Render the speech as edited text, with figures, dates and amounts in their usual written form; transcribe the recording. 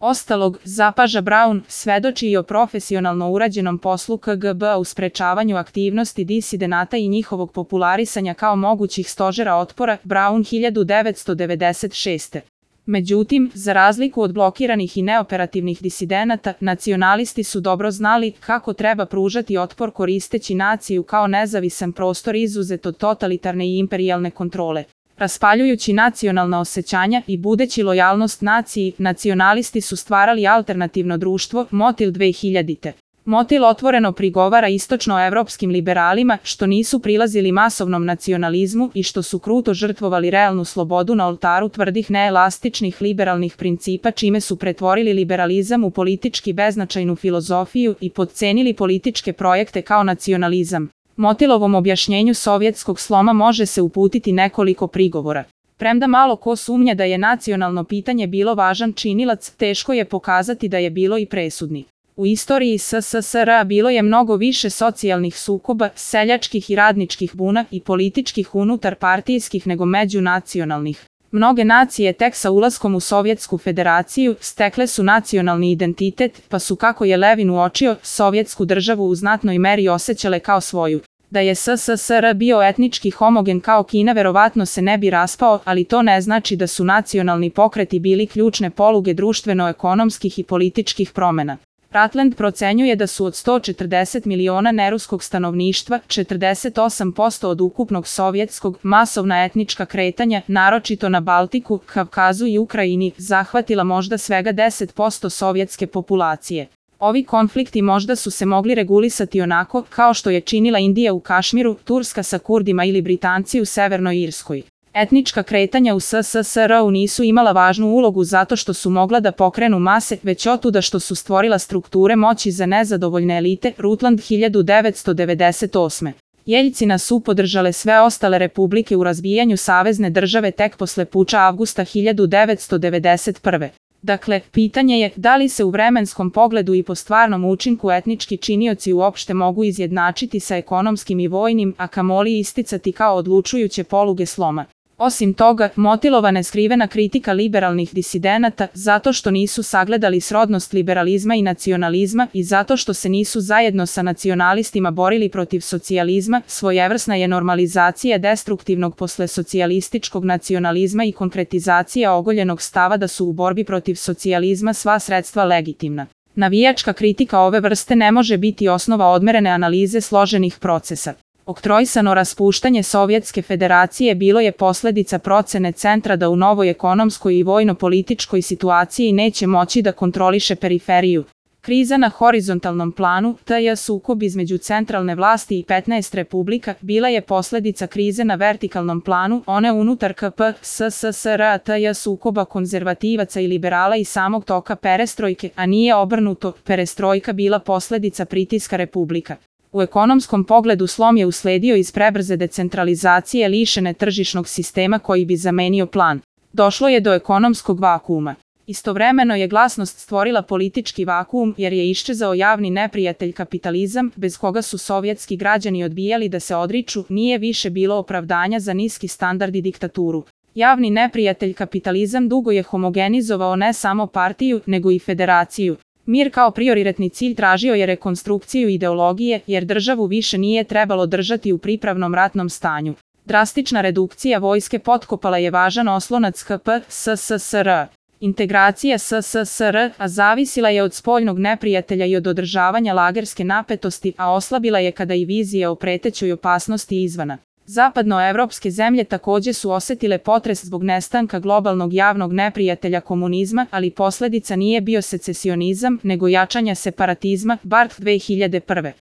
ostalog, zapaža Braun, svedoči i o profesionalno urađenom poslu KGB-a u sprečavanju aktivnosti disidenata i njihovog popularisanja kao mogućih stožera otpora, Braun 1996. Međutim, za razliku od blokiranih i neoperativnih disidenata, nacionalisti su dobro znali kako treba pružati otpor koristeći naciju kao nezavisan prostor izuzet od totalitarne i imperijalne kontrole. Raspaljujući nacionalna osjećanja i budeći lojalnost naciji, nacionalisti su stvarali alternativno društvo, Motil 2000. Motil otvoreno prigovara istočnoevropskim liberalima što nisu prilazili masovnom nacionalizmu i što su kruto žrtvovali realnu slobodu na oltaru tvrdih neelastičnih liberalnih principa čime su pretvorili liberalizam u politički beznačajnu filozofiju i potcenili političke projekte kao nacionalizam. Motilovom objašnjenju sovjetskog sloma može se uputiti nekoliko prigovora. Premda malo ko sumnja da je nacionalno pitanje bilo važan činilac, teško je pokazati da je bilo i presudni. U istoriji SSSR bilo je mnogo više socijalnih sukoba, seljačkih i radničkih buna i političkih unutarpartijskih nego međunacionalnih. Mnoge nacije tek sa ulaskom u Sovjetsku federaciju stekle su nacionalni identitet, pa su, kako je Levin uočio, sovjetsku državu u znatnoj meri osjećale kao svoju. Da je SSSR bio etnički homogen kao Kina verovatno se ne bi raspao, ali to ne znači da su nacionalni pokreti bili ključne poluge društveno-ekonomskih i političkih promjena. Rutland procenjuje da su od 140 miliona neruskog stanovništva, 48% od ukupnog sovjetskog, masovna etnička kretanja, naročito na Baltiku, Kavkazu i Ukrajini, zahvatila možda svega 10% sovjetske populacije. Ovi konflikti možda su se mogli regulisati onako kao što je činila Indija u Kašmiru, Turska sa Kurdima ili Britanci u Severnoj Irskoj. Etnička kretanja u SSSR-u nisu imala važnu ulogu zato što su mogla da pokrenu mase, već otuda što su stvorila strukture moći za nezadovoljne elite, Rutland 1998. Jeljcina su podržale sve ostale republike u razbijanju savezne države tek posle puča avgusta 1991. Dakle, pitanje je da li se u vremenskom pogledu i po stvarnom učinku etnički činioci uopšte mogu izjednačiti sa ekonomskim i vojnim, a kamoli isticati kao odlučujuće poluge sloma. Osim toga, Motilova neskrivena kritika liberalnih disidenata zato što nisu sagledali srodnost liberalizma i nacionalizma i zato što se nisu zajedno sa nacionalistima borili protiv socijalizma, svojevrsna je normalizacija destruktivnog poslesocijalističkog nacionalizma i konkretizacija ogoljenog stava da su u borbi protiv socijalizma sva sredstva legitimna. Navijačka kritika ove vrste ne može biti osnova odmerene analize složenih procesa. Oktroisano raspuštanje Sovjetske federacije bilo je posljedica procene centra da u novoj ekonomskoj i vojno-političkoj situaciji neće moći da kontroliše periferiju. Kriza na horizontalnom planu, tj. sukob između centralne vlasti i 15 republika, bila je posljedica krize na vertikalnom planu, one unutar KP/SSSR, tj. sukoba konzervativaca i liberala i samog toka perestrojke, a nije obrnuto, perestrojka bila posljedica pritiska republika. U ekonomskom pogledu slom je usledio iz prebrze decentralizacije lišene tržišnog sistema koji bi zamenio plan. Došlo je do ekonomskog vakuuma. Istovremeno je glasnost stvorila politički vakuum jer je iščezao javni neprijatelj kapitalizam, bez koga su sovjetski građani odbijali da se odriču, nije više bilo opravdanja za niski standard i diktaturu. Javni neprijatelj kapitalizam dugo je homogenizovao ne samo partiju, nego i federaciju. Mir kao prioritetni cilj tražio je rekonstrukciju ideologije, jer državu više nije trebalo držati u pripravnom ratnom stanju. Drastična redukcija vojske potkopala je važan oslonac KP/SSSR. Integracija SSSR-a zavisila je od spoljnog neprijatelja i od održavanja lagerske napetosti, a oslabila je kada i vizija o pretećoj opasnosti izvana. Zapadnoevropske zemlje također su osjetile potres zbog nestanka globalnog javnog neprijatelja komunizma, ali posljedica nije bio secesionizam, nego jačanja separatizma, Barth 2001.